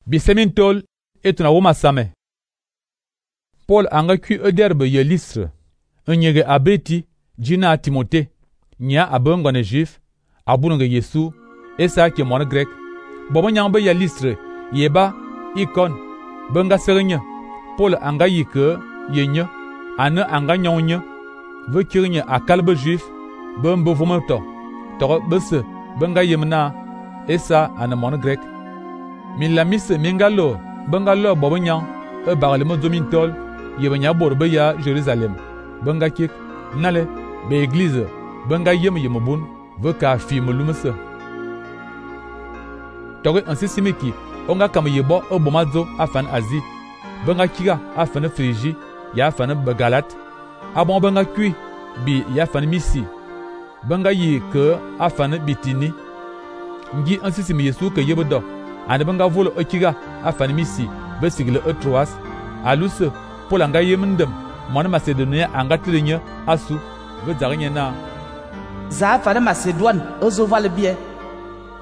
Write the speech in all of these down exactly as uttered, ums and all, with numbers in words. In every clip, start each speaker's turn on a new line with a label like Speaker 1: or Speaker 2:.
Speaker 1: Bisemin tol etuna woma same. Paul anga kui ederbe ye Lystre, nyege abeti jina Timote, nya abengone juif, abunge Yesu, esa ke mon grek. Bobo nyangbe ya Lystre, yeba, ikon, benga serenye. Paul anga yike, yenye, ane anga nyonye, ve kirnye akalbe juif, bembe vumeto, toro bese, benga yemna, esa ane mon grek. Min la mise mingalo, benga lo bobo nyang, e bagle mo zomin tol, yebe nya borbe ya Jerusalem. Benga kik, nale, be église, benga yem yemobun, ve ka fi melumese. Tore ansi simiki, onga kam yebo e bomazo afan Asie. Benga kiga afan Frigi, ya afan Begalat. Abon benga kui, bi ya afan Misi. Benga yi ke afan Bitini. Ngi ansi simi Yesu ke yebodo. Ane benga volo e kiga afan Misi, be sigle e Troas. Aluse, Paul anga yemendem, mon Macedonia anga tirenye asu, ve zarenye na.
Speaker 2: Za afan Macedon, ozo vale bien.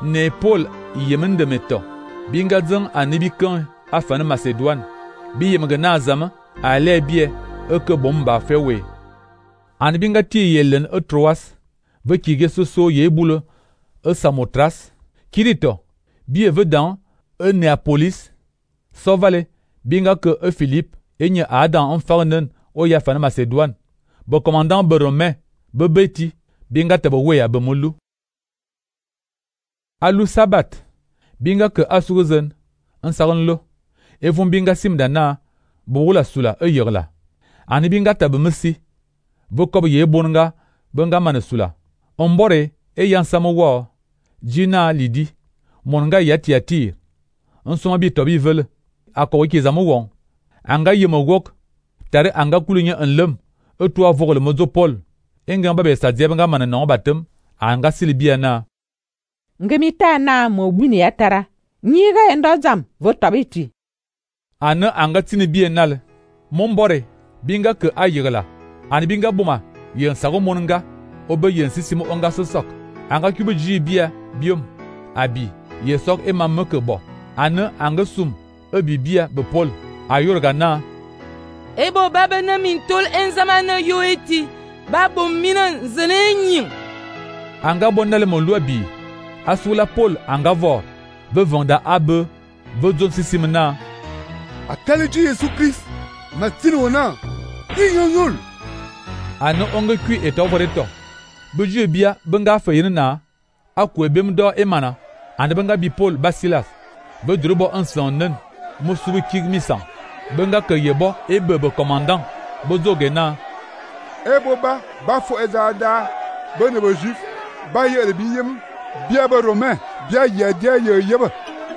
Speaker 1: Ne Paul yemendem eto. Binga zeng anibikan afan Macedon. Bi yemge na zama, ale bie, eke bomba fewe. Ane binga ti yelen e Troas, ve kige soso yebule, e Samotras. Kirito, bie vedan, e Neapolis. Sovale, binga ke e Philippe, enye Adam enfarnen o yafan Macedon. Be commandant be Romain, be beti, binga tebe weya be molu. Alu sabat, binga ke asuruzen, en sarenlo. Evon binga simdana, boula sula e yerla. Ani binga tebe mesi, ve kob ye bonga, benga manesula. Ombore, e yansamo wa, jina lidi, monga yati yatir. En soma bi tobi vele, ako ki zamo wong. Anga yemo wok, tare anga kulunya en lem, e toa vogele mozo Paul. Enga babe sa diabenga manenon batem, anga silibia na.
Speaker 3: Ngemita na mo buni yatara. Nyiga endo zam, vo tabiti.
Speaker 1: Ane anga tini bienal. Mombore, binga ke ayegla. Ani binga buma, yen sago monanga, obe yen sisimo onga sosok. Anga kube ji bia, biom, abi, ye sok e mameke bo. Ane anga sum, e bibia be Paul. Ayorga na.
Speaker 4: Ebo baba na min tol enzama na yo eti. Babo mina zene nying.
Speaker 1: Anga bonale mon loi bi. Asula Paul anga vor. Be vanda abe. Be zon sisimna.
Speaker 5: Akaleji Yesu Christ. Matini wana. Inyonyol.
Speaker 1: Ano onge kui eto voreto. Be jue bia benga feyene na. Akwe bem do emana. Ande benga bi Paul Basilas. Be drobo ansonnen. Mosubi kig misan. Benga ke yebo e bebe commandant. Bozo gena.
Speaker 5: Ebo ba, ba fo ezada. Bene be juif. Ba ye bi yem. Bia be romain. Bia ye dia ye yeba.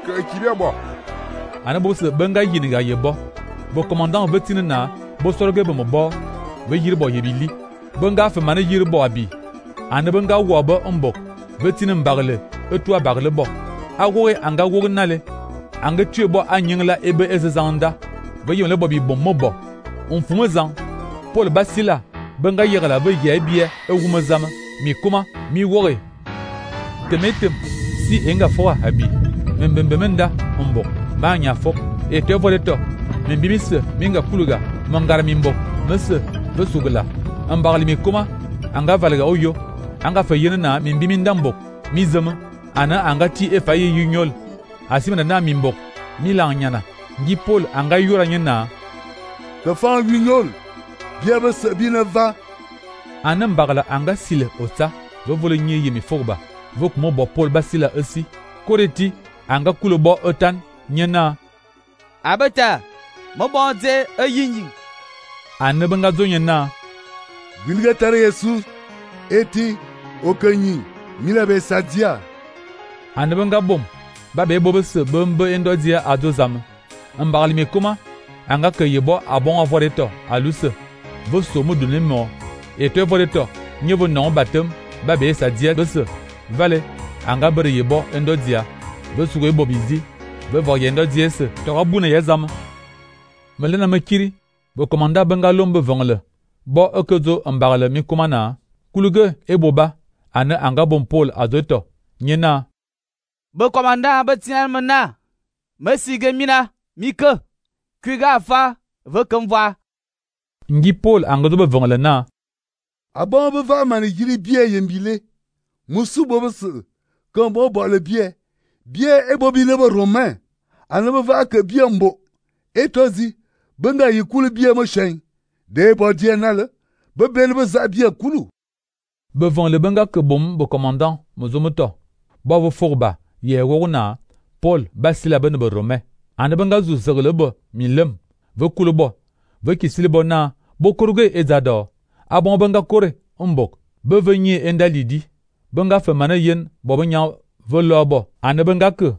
Speaker 5: Ke kibia bo.
Speaker 1: Ana bo se benga yiniga yebo. Bo commandant vetine na. Bo soroge be mo bo. Ve yirbo yebili. Benga fe mane yirbo abi. Ana benga wobo mbok. Vetine mbagle. Etwa bagle bo. Awoe anga woge nale. Anga tue bo anyingla ebe ezezanda. Ve yole bo bi bom mobo. On fumezan. Paul Basila. Benga yegla ve ye bie e wumezama. Mi kuma mi wore. Temetem si enga foa habi. Membembemenda ombo. Ba nya fop. E te voleto. Membimise minga kuluga. Mangara mimbo. Mese vesugla. Ambarli mi kuma. Anga valga oyo. Anga fayene na mimbimindambo. Mizema. Ana anga ti e faye yunyol. Asimena na mimbok. Milan nyana. Ngi Paul anga yura nyana.
Speaker 5: Ke fan yunyol. Biebe se bine va.
Speaker 1: Ana mbagla anga sile ota. Ve vole nye yemi fogba. Vok mo bo Paul Basila esi. Koreti anga kulo bo otan nyana.
Speaker 2: Abata. Mo bonze e yinyin.
Speaker 1: Ana benga zo nyana.
Speaker 5: Bilga tare Yesu. Eti okanyi. Milabe sadia.
Speaker 1: Ana benga bom. Babe bobe se bembe endo dia adozam. Mbagli me kuma anga ke yebo abon avoreto aluse. Vo somo donne mo. Et te voreto nyevo non batem babe sa dia bese. Vale anga bere yebo endo dia. Ve sugo yebo bizi. Ve vo yendo dia se. To abuna yezam. Melena makiri. Bo komanda benga lombe vongle. Bo okezo mbagle mi kuma na. Kuluge eboba ane anga bon Paul azoto. Nyena.
Speaker 2: Be commandant be tian mena. me sige mina mi ke kwi ga fa ve kem va.
Speaker 1: Ngi Paul angozo be vongele na.
Speaker 5: Abon be va man yiri bie yembile. Musu bo se. Kan bo bo le bie. Bie e bo bi le bo romain. An be va ke bie mbo. E tozi benga yikulu bie mo shen. De bo die na le. Be be le za bie kulu.
Speaker 1: Be vongele benga ke bom bo commandant mozo moto. Bo vo forba ye wona Paul basila ben be romain. An benga zu zegele bo milem. Ve kulu bo. Ve kisili bo na bo koruge ezado. Abon benga kore mbok. Be venye endalidi. Benga fe mana yen bo benya ve lo bo. An benga ke